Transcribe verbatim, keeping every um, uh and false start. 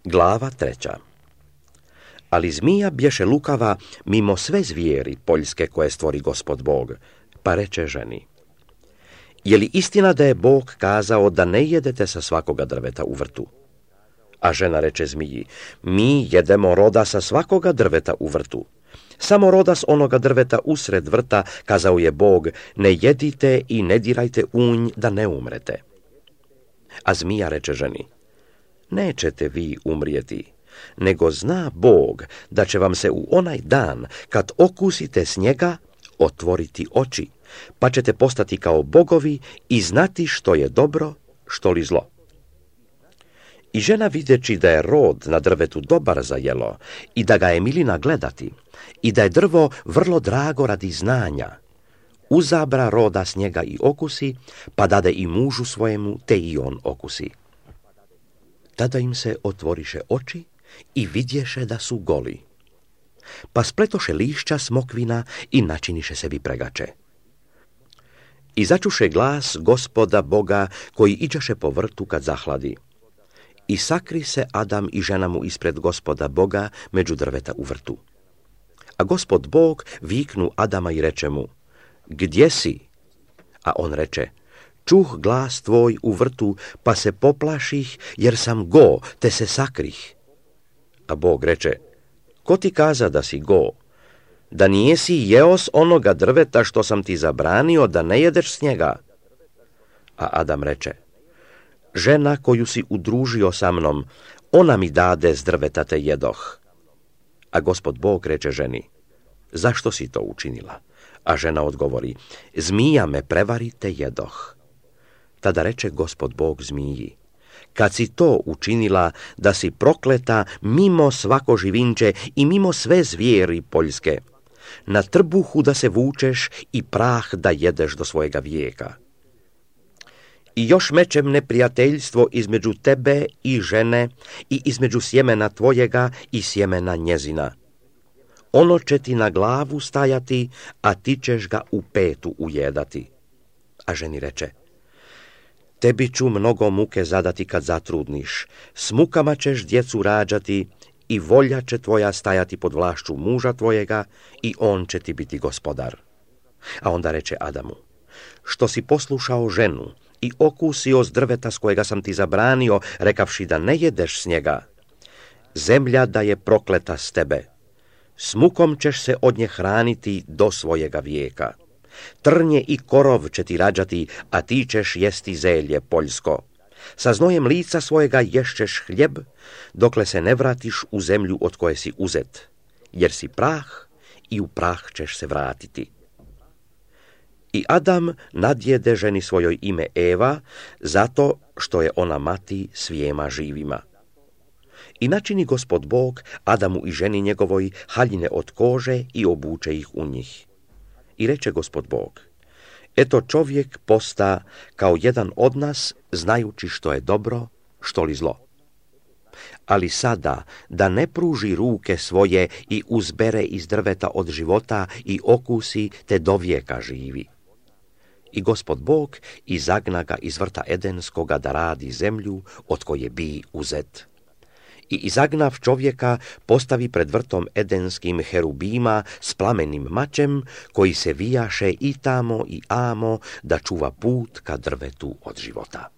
Glava treća. Ali zmija bješe lukava mimo sve zvijeri poljske koje stvori Gospod Bog, pa reče ženi: Je li istina da je Bog kazao da ne jedete sa svakoga drveta u vrtu? A žena reče zmiji: Mi jedemo roda sa svakoga drveta u vrtu. Samo roda s onoga drveta usred vrta, kazao je Bog, ne jedite i ne dirajte u nj da ne umrete. A zmija reče ženi: Nećete vi umrijeti, nego zna Bog da će vam se u onaj dan, kad okusite s njega, otvoriti oči, pa ćete postati kao bogovi i znati što je dobro, što li zlo. I žena, videći da je rod na drvetu dobar za jelo i da ga je milina gledati i da je drvo vrlo drago radi znanja, uzabra roda s njega i okusi, pa dade i mužu svojemu, te i on okusi. Tada im se otvoriše oči i vidješe da su goli. Pa spletoše lišća smokvina i načiniše sebi pregače. I začuše glas Gospoda Boga koji iđaše po vrtu kad zahladi. I sakri se Adam i žena mu ispred Gospoda Boga među drveta u vrtu. A Gospod Bog viknu Adama i reče mu: Gdje si? A on reče: Čuh glas tvoj u vrtu, pa se poplaših, jer sam go, te se sakrih. A Bog reče: Ko ti kaza da si go? Da nijesi jeo s onoga drveta što sam ti zabranio da ne jedeš s njega? A Adam reče: Žena koju si udružio sa mnom, ona mi dade s drveta te jedoh. A Gospod Bog reče ženi: Zašto si to učinila? A žena odgovori: Zmija me prevari te jedoh. Tada reče Gospod Bog zmiji: Kad si to učinila, da si prokleta mimo svako živinče i mimo sve zvijeri poljske, na trbuhu da se vučeš i prah da jedeš do svojega vijeka. I još mečem neprijateljstvo između tebe i žene i između sjemena tvojega i sjemena njezina. Ono će ti na glavu stajati, a ti ćeš ga u petu ujedati. A ženi reče: Tebi ću mnogo muke zadati kad zatrudniš, s mukama ćeš djecu rađati i volja će tvoja stajati pod vlašću muža tvojega i on će ti biti gospodar. A onda reče Adamu: Što si poslušao ženu i okusio s drveta s kojega sam ti zabranio, rekavši da ne jedeš s njega, zemlja da je prokleta s tebe. S mukom ćeš se od nje hraniti do svojega vijeka. Trnje i korov će ti rađati, a ti ćeš jesti zelje poljsko. Sa znojem lica svojega ješćeš hljeb, dokle se ne vratiš u zemlju od koje si uzet, jer si prah i u prah ćeš se vratiti. I Adam nadjede ženi svojoj ime Eva, zato što je ona mati svijema živima. I načini Gospod Bog Adamu i ženi njegovoj haljine od kože i obuče ih u njih. I reče Gospod Bog: Eto, čovjek posta kao jedan od nas, znajući što je dobro, što li zlo. Ali sada da ne pruži ruke svoje i uzbere iz drveta od života i okusi, te do vijeka živi. I Gospod Bog izagna ga iz vrta Edenskoga da radi zemlju od koje bi uzet. I izagnav čovjeka postavi pred vrtom Edenskim herubima s plamenim mačem, koji se vijaše i tamo i amo da čuva put ka drvetu od života.